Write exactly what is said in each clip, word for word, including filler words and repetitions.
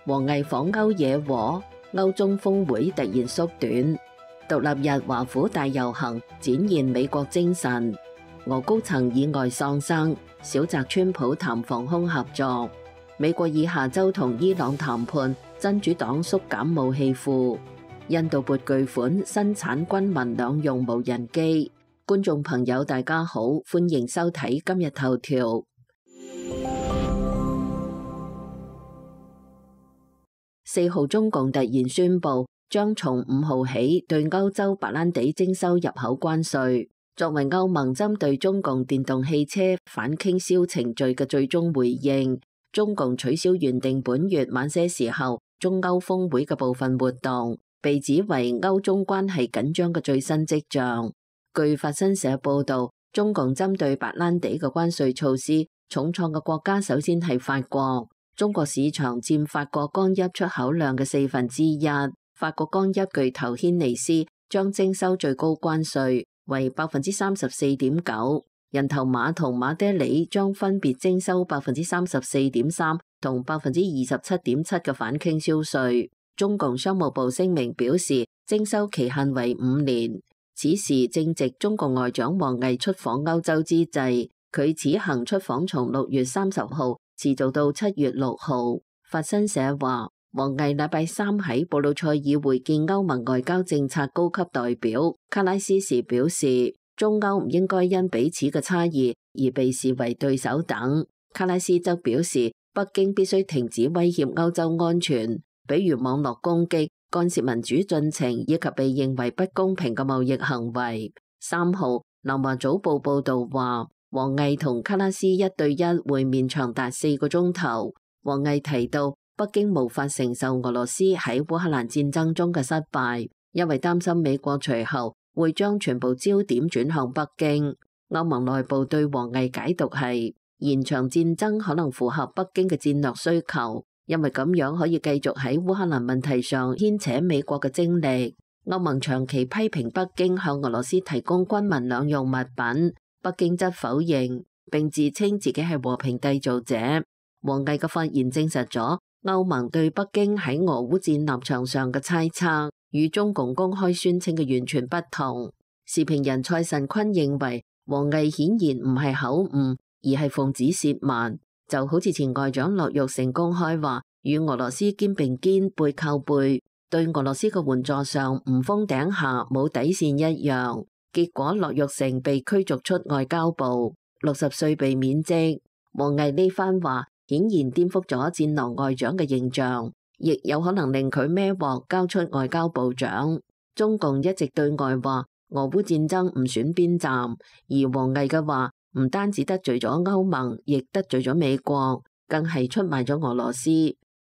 王毅訪歐惹禍，歐中峰會突然縮短。獨立日華府大遊行展現美國精神。俄高層意外喪生，小澤川普談防空合作。美國以下週同伊朗談判，真主黨縮減武器庫。印度撥巨款生產軍民兩用無人機。觀眾朋友大家好，歡迎收睇今日頭條。四號中共突然宣布，將從五號起對歐洲白蘭地徵收入口關稅，作為歐盟針對中共電動汽車反傾銷程序嘅最終回應。中共取消原定本月晚些時候中歐峰會嘅部分活動，被指為歐中關係緊張嘅最新跡象。據法新社報道，中共針對白蘭地嘅關稅措施重創嘅國家首先係法國。中國市場佔法國乾邑出口量嘅四分之一。法國乾邑巨頭軒尼詩將徵收最高關稅，為百分之三十四點九。人頭馬同馬爹利將分別徵收百分之三十四點三同百分之二十七點七嘅反傾銷稅。中共商務部聲明表示，徵收期限為五年。此時正值中國外長王毅出訪歐洲之際，佢此行出訪從六月三十號持續到七月六號。法新社話，王毅禮拜三喺布魯塞爾會見歐盟外交政策高級代表卡拉斯時表示，中歐唔應該因彼此嘅差異而被視為對手等。卡拉斯則表示，北京必須停止威脅歐洲安全，比如網絡攻擊、干涉民主進程以及被認為不公平嘅貿易行為。三號，南華早報報道話，王毅同卡拉斯一對一會面長達四個鐘頭。王毅提到，北京無法承受俄羅斯喺烏克蘭戰爭中嘅失敗，因為擔心美國隨後會將全部焦點轉向北京。歐盟內部對王毅解讀係，延長戰爭可能符合北京嘅戰略需求，因為咁樣可以繼續喺烏克蘭問題上牽扯美國嘅精力。歐盟長期批評北京向俄羅斯提供軍民兩用物品，北京則否認，並自稱自己係和平締造者。王毅嘅發言證實咗歐盟對北京喺俄烏戰立場上嘅猜測，與中共公開宣稱嘅完全不同。時評人蔡慎坤認為，王毅顯然唔係口誤，而係奉旨褻慢，就好似前外長樂玉成公開話與俄羅斯肩並肩背靠背，對俄羅斯嘅援助上唔封頂下冇底線一樣。結果樂玉成被驅逐出外交部，六十歲被免職。王毅呢番話顯然顛覆咗戰狼外長嘅形象，亦有可能令佢孭鑊交出外交部長。中共一直對外話俄烏戰爭唔選邊站，而王毅嘅話唔單止得罪咗歐盟，亦得罪咗美國，更係出賣咗俄羅斯。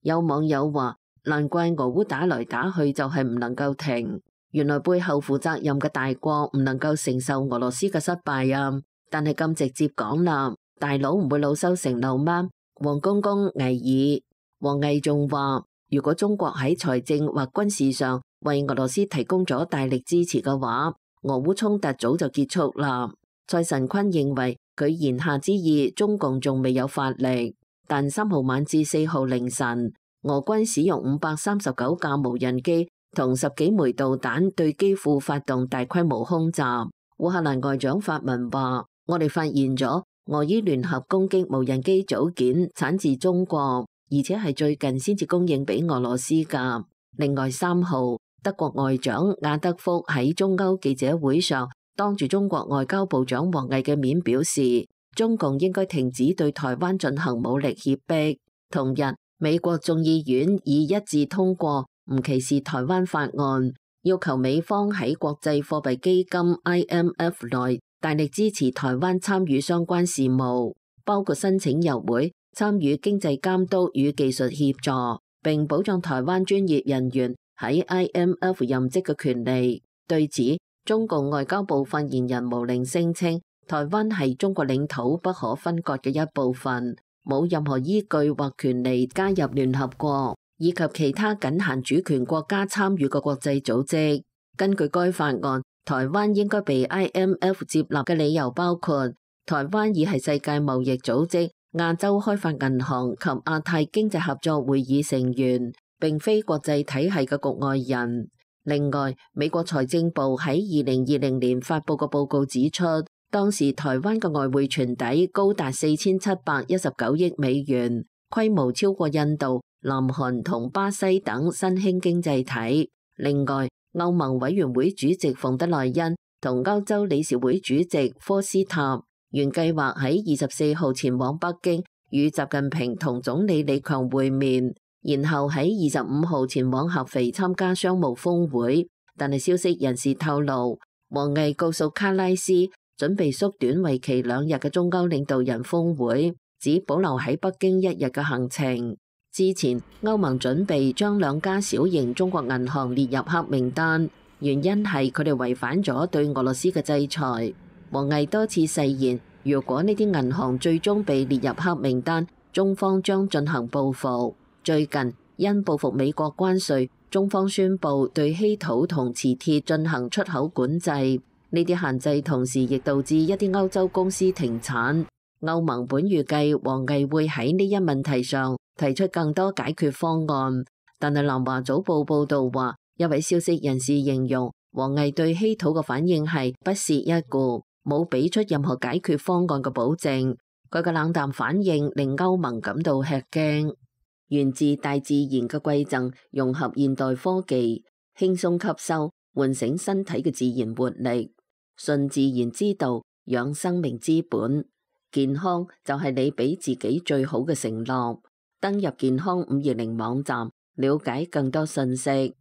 有網友話，難怪俄烏打來打去就係唔能夠停，原來背後負責任嘅大國唔能夠承受俄羅斯嘅失敗啊！但係咁直接講啦，大佬唔會老羞成怒咩？王公公危矣。王毅仲話，如果中國喺財政或軍事上為俄羅斯提供咗大力支持嘅話，俄烏衝突早就結束啦。蔡慎坤認為佢言下之意，中共仲未有發力，但三號晚至四號凌晨，俄軍使用五百三十九架無人機同十幾枚導彈對基輔發動大規模空襲。烏克蘭外長發文話，我哋發現咗俄伊聯合攻擊無人機組件產自中國，而且係最近先至供應俾俄羅斯㗎。另外三號，德國外長亞德福喺中歐記者會上當住中國外交部長王毅嘅面表示，中共應該停止對台灣進行武力脅迫。同日，美國眾議院已一致通過唔歧視台灣法案，要求美方喺國際貨幣基金 I M F 內大力支持台灣參與相關事務，包括申請入會、參與經濟監督與技術協助，並保障台灣專業人員喺 I M F 任職嘅權利。對此，中共外交部發言人毛寧聲稱，台灣係中國領土不可分割嘅一部分，冇任何依據或權利加入聯合國以及其他僅限主權國家參與嘅國際組織。根據該法案，台灣應該被 I M F 接納嘅理由包括，台灣已係世界貿易組織亞洲開發銀行及亞太經濟合作會議成員，並非國際體系嘅局外人。另外，美國財政部喺二零二零年發布嘅報告指出，當時台灣嘅外匯存底高達四千七百一十九億美元，規模超過印度、南韓同巴西等新興經濟體。另外，歐盟委員會主席馮德萊恩同歐洲理事會主席科斯塔原計劃喺二十四號前往北京與習近平同總理李強會面，然後喺二十五號前往合肥參加商務峰會。但係消息人士透露，王毅告訴卡拉斯準備縮短為期兩日嘅中歐領導人峰會，只保留喺北京一日嘅行程。之前歐盟準備將兩家小型中國銀行列入黑名單，原因係佢哋違反咗對俄羅斯嘅制裁。王毅多次誓言，如果呢啲銀行最終被列入黑名單，中方將進行報復。最近因報復美國關稅，中方宣布對稀土同磁鐵進行出口管制。呢啲限制同時亦導致一啲歐洲公司停產。歐盟本預計王毅會喺呢一問題上提出更多解決方案，但係南華早報報道話，一位消息人士形容王毅對稀土嘅反應係不屑一顧，冇俾出任何解決方案嘅保證。佢嘅冷淡反應令歐盟感到吃驚。源自大自然嘅饋贈，融合現代科技，輕鬆吸收，喚醒身體嘅自然活力。順自然之道，養生命之本。健康就係你俾自己最好嘅承諾。登入健康五二零網站，了解更多信息。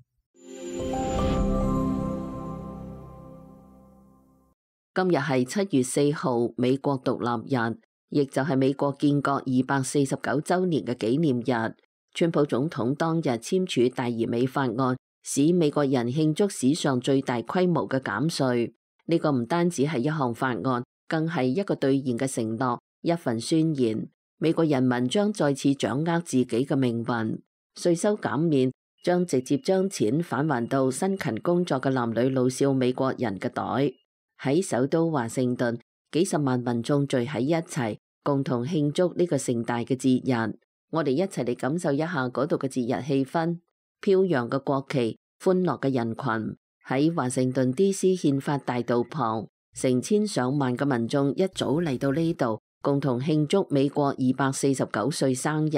今日係七月四號，美國獨立日，亦就係美國建國二百四十九週年嘅紀念日。川普總統當日簽署大而美法案，使美國人慶祝史上最大規模嘅減稅。呢個唔單止係一項法案，更係一個兌現嘅承諾，一份宣言。美國人民將再次掌握自己嘅命運。稅收減免將直接將錢返還到辛勤工作嘅男女老少美國人嘅袋。喺首都華盛頓，幾十萬民眾聚喺一齊，共同慶祝呢個盛大嘅節日。我哋一齊嚟感受一下嗰度嘅節日氣氛。飄揚嘅國旗，歡樂嘅人群，喺華盛頓 D C 憲法大道旁，成千上萬嘅民眾一早嚟到呢度，共同慶祝美國二百四十九歲生日。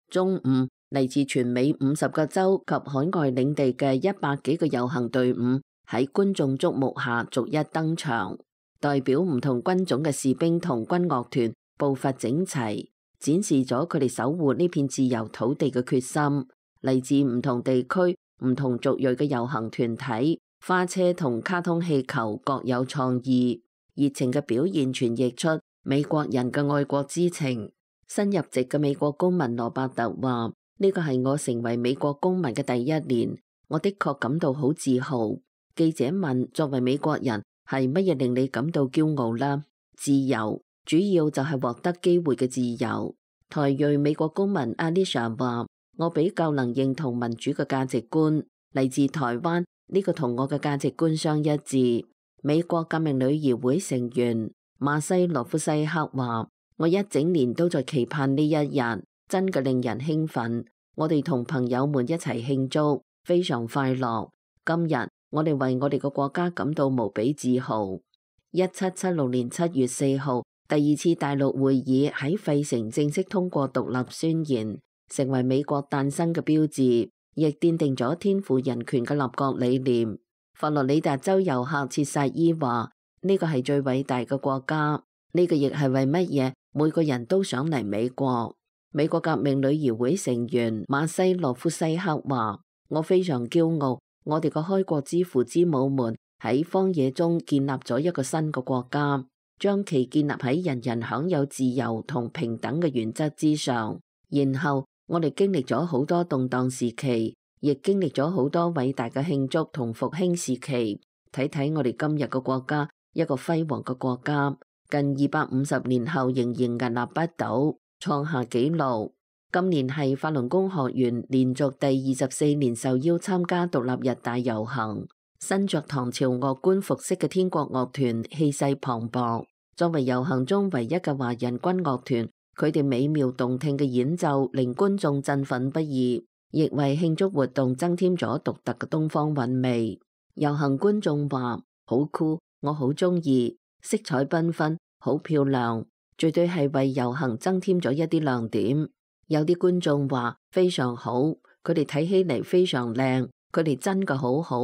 中午，嚟自全美五十個州及海外領地嘅一百幾個遊行隊伍喺觀眾矚目下逐一登場，代表唔同軍種嘅士兵同軍樂團步伐整齊，展示咗佢哋守護呢片自由土地嘅決心。嚟自唔同地區、唔同族裔嘅遊行團體，花車同卡通氣球各有創意，熱情嘅表現傳譯出美國人嘅愛國之情。新入籍嘅美國公民羅伯特話：呢個係我成為美國公民嘅第一年，我的確感到好自豪。記者問：作為美國人，係乜嘢令你感到驕傲啦？自由，主要就係獲得機會嘅自由。台裔美國公民 Alicia 話：我比較能認同民主嘅價值觀，嚟自台灣，呢個同我嘅價值觀相一致。美國革命女兒會成員馬西羅夫西克話：我一整年都在期盼呢一日，真嘅令人興奮。我哋同朋友們一齊慶祝，非常快樂。今日我哋為我哋嘅國家感到無比自豪。一七七六年七月四號，第二次大陸會議喺費城正式通過獨立宣言，成為美國誕生嘅標誌，亦奠定咗天賦人權嘅立國理念。佛羅里達州遊客切薩伊話：呢個係最偉大嘅國家，呢個亦係為乜嘢每個人都想嚟美國。美國革命女兒會成員馬西洛夫西克話：我非常驕傲，我哋嘅開國之父之母們喺荒野中建立咗一個新嘅國家，將其建立喺人人享有自由同平等嘅原則之上。然後我哋經歷咗好多動盪時期，亦經歷咗好多偉大嘅慶祝同復興時期。睇睇我哋今日嘅國家，一個輝煌嘅國家，近二百五十年後仍然屹立不倒，創下紀錄。今年係法輪功學員連續第二十四年受邀參加獨立日大遊行。身着唐朝樂官服飾嘅天國樂團氣勢磅礴，作為遊行中唯一嘅華人軍樂團，佢哋美妙動聽嘅演奏令觀眾振奮不已，亦為慶祝活動增添咗獨特嘅東方韻味。遊行觀眾話：好酷，我好鍾意，色彩繽紛，好漂亮，絕對係為遊行增添咗一啲亮點。有啲觀眾話非常好，佢哋睇起嚟非常靚，佢哋真嘅好好，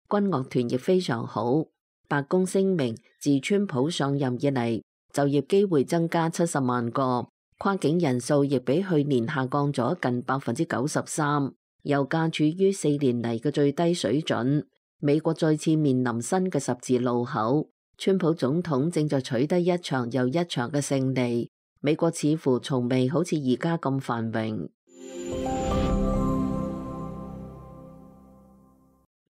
軍樂團亦非常好。白宮聲明，自川普上任以嚟，就業機會增加七十萬個，跨境人數亦比去年下降咗近百分之九十三，油價處於四年嚟嘅最低水準。美國再次面臨新嘅十字路口，川普總統正在取得一場又一場嘅勝利。美國似乎從未好似而家咁繁榮。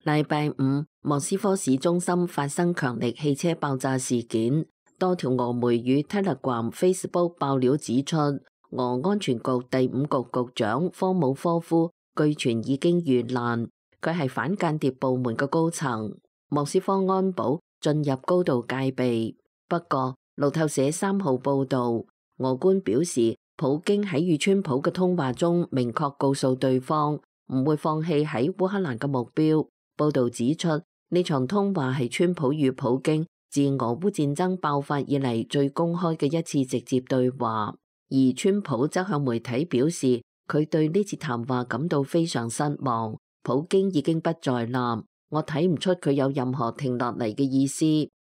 禮拜五，莫斯科市中心發生強力汽車爆炸事件，多條俄媒與 Telegram、Facebook 爆料指出，俄安全局第五局局長科姆科夫據傳已經遇難，佢係反間諜部門嘅高層。莫斯科安保進入高度戒備。不過，路透社三號報導，俄官表示，普京喺與川普嘅通話中明確告訴對方唔會放棄喺烏克蘭嘅目標。報導指出，呢場通話係川普與普京自俄烏戰爭爆發以嚟最公開嘅一次直接對話。而川普則向媒體表示，佢對呢次談話感到非常失望。普京已經不在啦，我睇唔出佢有任何停落嚟嘅意思，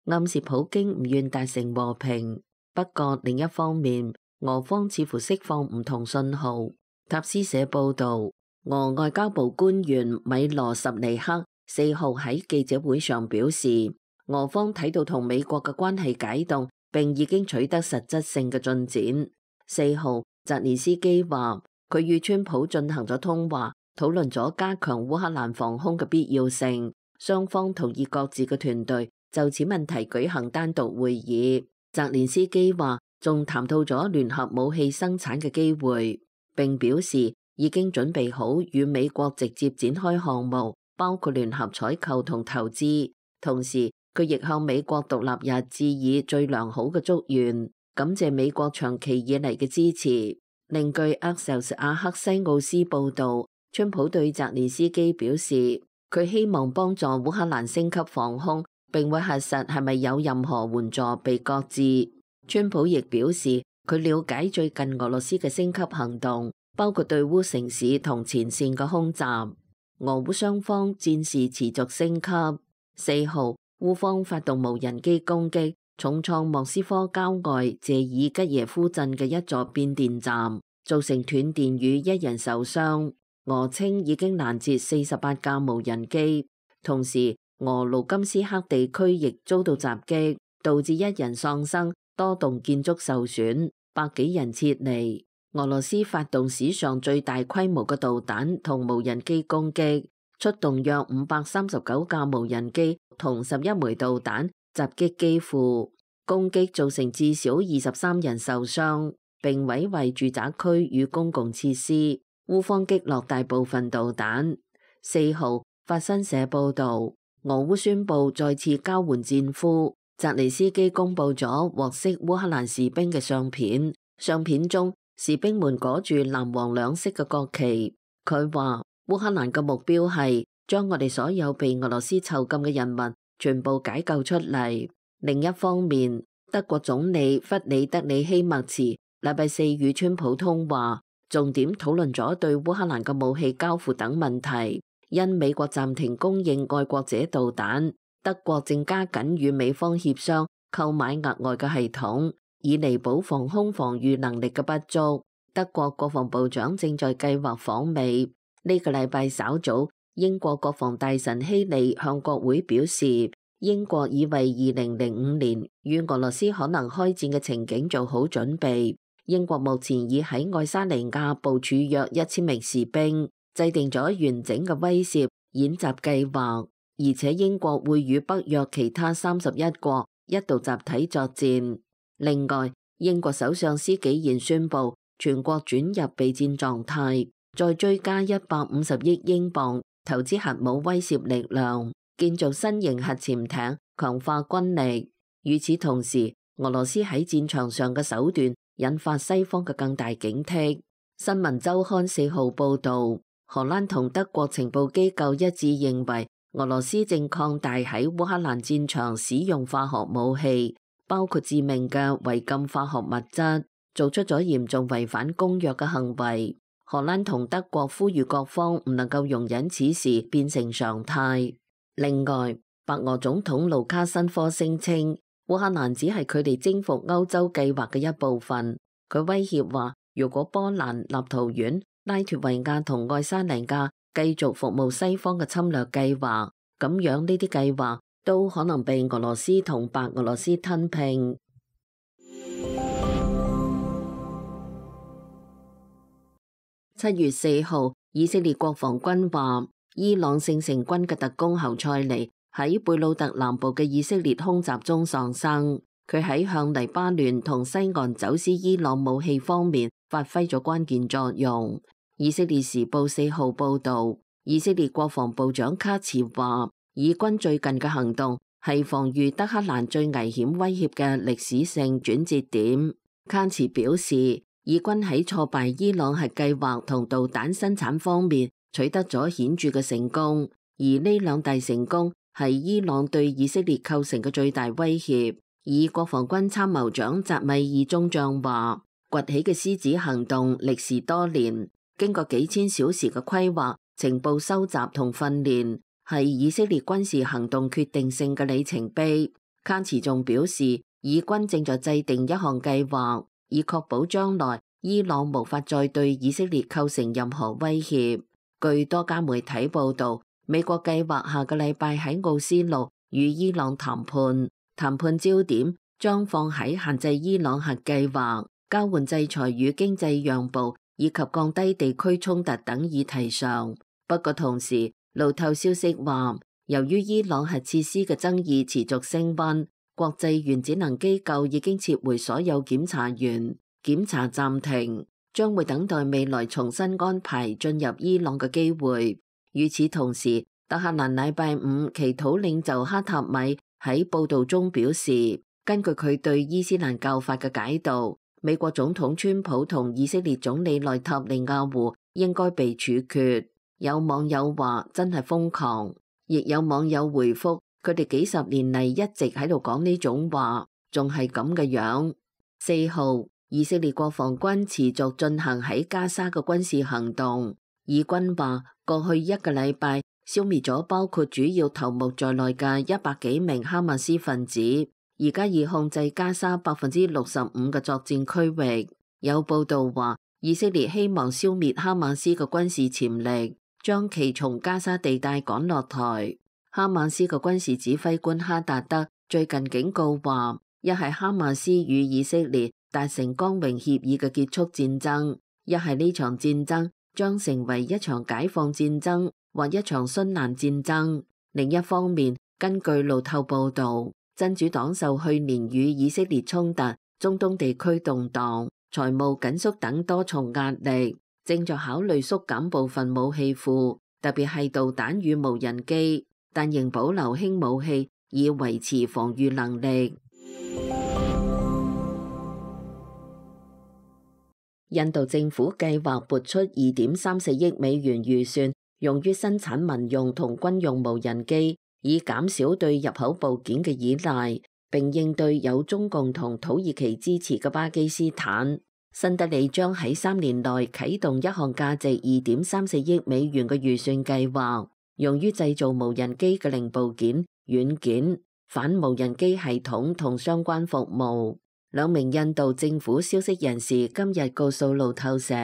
暗示普京唔願達成和平。不過另一方面，俄方似乎釋放唔同信號。塔斯社報導，俄外交部官員米羅什尼克四號喺記者會上表示，俄方睇到同美國嘅關係解凍，並已經取得實質性嘅進展。四號，澤連斯基話佢與川普進行咗通話，討論咗加強烏克蘭防空嘅必要性。雙方同意各自嘅團隊就此問題舉行單獨會議。澤連斯基話仲談到咗聯合武器生產嘅機會，並表示已經準備好與美國直接展開項目，包括聯合採購同投資。同時，佢亦向美國獨立日致以最良好嘅祝願，感謝美國長期以嚟嘅支持。另據 Axios 阿克西奧斯報導，川普對澤連斯基表示，佢希望幫助烏克蘭升級防空，並會核實係咪有任何援助被擱置。川普亦表示，佢了解最近俄羅斯嘅升級行動，包括對烏城市同前線嘅空襲。俄烏雙方戰事持續升級。四號，烏方發動無人機攻擊，重創莫斯科郊外謝爾吉耶夫鎮嘅一座變電站，造成斷電與一人受傷。俄稱已經攔截四十八架無人機，同時俄盧甘斯克地區亦遭到襲擊，導致一人喪生，多棟建築受損，百幾人撤離。俄羅斯發動史上最大規模嘅導彈同無人機攻擊，出動約五百三十九架無人機同十一枚導彈襲擊基輔，攻擊造成至少二十三人受傷，並毀壞住宅區與公共設施。烏方擊落大部分導彈。四號，法新社報導，俄烏宣布再次交換戰俘。澤連斯基公佈咗獲釋烏克蘭士兵嘅相片，相片中士兵們裹住藍黃兩色嘅國旗。佢話烏克蘭嘅目標係將我哋所有被俄羅斯囚禁嘅人民全部解救出嚟。另一方面，德國總理弗里德里希默茨禮拜四與川普通話，重點討論咗對烏克蘭嘅武器交付等問題。因美國暫停供應愛國者導彈，德國正加緊與美方協商購買額外嘅系統，以彌補防空防禦能力嘅不足。德國國防部長正在計劃訪美。呢個禮拜稍早，英國國防大臣希利向國會表示，英國已為二零零五年與俄羅斯可能開戰嘅情景做好準備。英國目前已喺愛沙尼亞部署約一千名士兵，制定咗完整嘅威懾演習計劃，而且英國會與北約其他三十一國一道集體作戰。另外，英國首相施紀賢宣布全國轉入備戰狀態，再追加一百五十億英鎊投資核武威懾力量，建造新型核潛艇，強化軍力。與此同時，俄羅斯喺戰場上嘅手段引發西方嘅更大警惕。新聞週刊四號報導，荷蘭同德國情報機構一致認為，俄羅斯正擴大喺烏克蘭戰場使用化學武器，包括致命嘅違禁化學物質，做出咗嚴重違反公約嘅行為。荷蘭同德國呼籲各方唔能夠容忍此事變成常態。另外，白俄總統盧卡申科聲稱，烏克蘭只係佢哋征服歐洲計劃嘅一部分。佢威脅話，如果波蘭、立陶宛、拉脫維亞同愛沙尼亞繼續服務西方嘅侵略計劃，咁樣呢啲計劃都可能被俄羅斯同白俄羅斯吞併。七月四號，以色列國防軍話，伊朗聖城軍嘅特工侯賽尼喺貝魯特南部嘅以色列空襲中喪生。佢喺向黎巴嫩同西岸走私伊朗武器方面發揮咗關鍵作用。以色列時報四號報導，以色列國防部長卡茨話，以軍最近嘅行動係防禦德黑蘭最危險威脅嘅歷史性轉折點。卡茨表示，以軍喺挫敗伊朗核計劃同導彈生產方面取得咗顯著嘅成功，而呢兩大成功係伊朗對以色列構成嘅最大威脅。以國防軍參謀長扎米爾中將話，崛起嘅獅子行動歷時多年，經過幾千小時嘅規劃、情報收集同訓練，係以色列軍事行動決定性嘅里程碑。卡茨仲表示，以軍正在制定一項計劃，以確保將來伊朗無法再對以色列構成任何威脅。據多家媒體報道，美國計劃下個禮拜喺奧斯陸與伊朗談判。談判焦點將放喺限制伊朗核計劃、交換制裁與經濟讓步以及降低地區衝突等議題上。不過同時，路透消息話，由於伊朗核設施嘅爭議持續升溫，國際原子能機構已經撤回所有檢查員，檢查暫停，將會等待未來重新安排進入伊朗嘅機會。與此同時，德黑蘭禮拜五祈禱領袖哈塔米喺報道中表示，根據佢對伊斯蘭教法嘅解讀，美國總統川普同以色列總理內塔尼亞胡應該被處決。有網友話真係瘋狂，亦有網友回覆佢哋幾十年嚟一直喺度講呢種話，仲係咁嘅樣。四號，以色列國防軍持續進行喺加沙嘅軍事行動。以軍話過去一個禮拜消滅咗包括主要頭目在內嘅一百幾名哈馬斯分子，而家已控制加沙百分之六十五嘅作戰區域。有報道話，以色列希望消滅哈馬斯嘅軍事潛力，將其從加沙地帶趕落台。哈馬斯嘅軍事指揮官哈達德最近警告話，一係哈馬斯與以色列達成光榮協議嘅結束戰爭，一係呢場戰爭將成為一場解放戰爭或一場殉難戰爭。另一方面，根據路透報道，真主黨受去年與以色列衝突、中東地區動盪、財務緊縮等多重壓力，正在考慮縮減部分武器庫，特別係導彈與無人機，但仍保留輕武器以維持防禦能力。印度政府計劃撥出二點三四億美元預算，用於生產民用同軍用無人機，以減少對入口部件嘅依賴，並應對有中共同土耳其支持嘅巴基斯坦。新德里將喺三年內啟動一項價值二點三四億美元嘅預算計劃，用於製造無人機嘅零部件、軟件、反無人機系統同相關服務。兩名印度政府消息人士今日告訴路透社，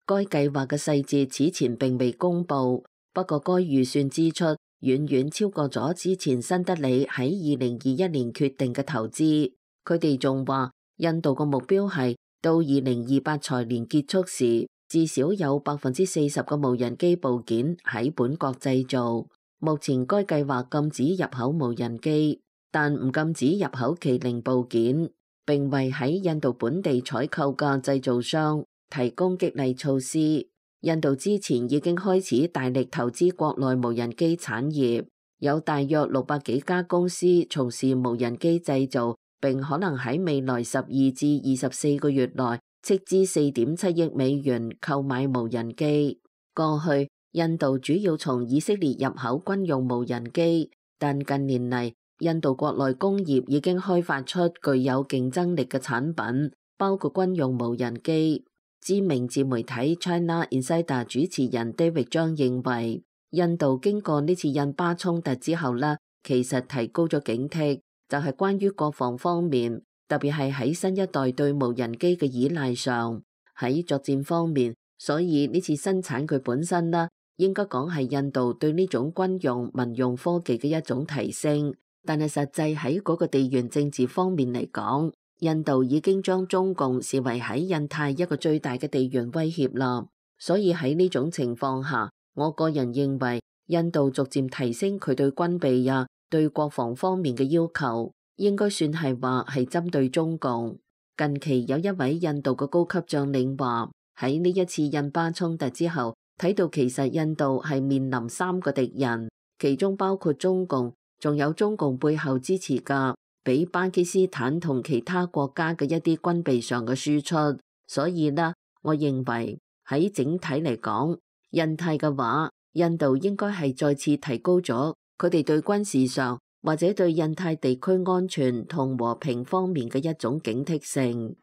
該計劃嘅細節此前並未公布，不過該預算支出遠遠超過咗之前新德里喺二零二一年決定嘅投資。佢哋仲話，印度嘅目標係到二零二八財年結束時，至少有百分之四十嘅無人機部件喺本國製造。目前該計劃禁止入口無人機，但唔禁止入口其零部件，並為喺印度本地採購嘅製造商提供激勵措施。印度之前已經開始大力投資國內無人機產業，有大約六百幾家公司從事無人機製造並可能喺未來十二至二十四個月內斥資四點七億美元購買無人機。過去印度主要從以色列入口軍用無人機，但近年嚟印度國內工業已經開發出具有競爭力嘅產品，包括軍用無人機。知名自媒體 China Insider 主持人 David 張認為，印度經過呢次印巴衝突之後呢，其實提高咗警惕，就係關於國防方面，特別係喺新一代對無人機嘅依賴上。喺作戰方面，所以呢次生產佢本身呢，應該講係印度對呢種軍用民用科技嘅一種提升。但係實際喺嗰個地緣政治方面嚟講，印度已經將中共視為喺印太一個最大嘅地緣威脅啦。所以喺呢種情況下，我個人認為印度逐漸提升佢對軍備啊、對國防方面嘅要求，應該算係話係針對中共。近期有一位印度嘅高級將領話，喺呢一次印巴衝突之後，睇到其實印度係面臨三個敵人，其中包括中共，仲有中共背後支持嘅俾巴基斯坦同其他國家嘅一啲軍備上嘅輸出。所以呢，我認為喺整體嚟講，印太嘅話，印度應該係再次提高咗佢哋對軍事上或者對印太地區安全同和平方面嘅一種警惕性。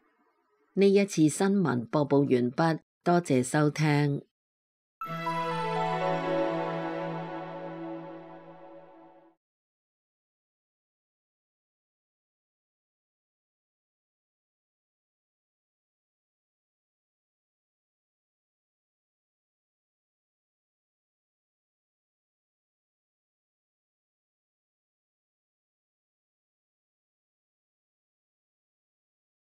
呢一次新聞播報完畢，多謝收聽。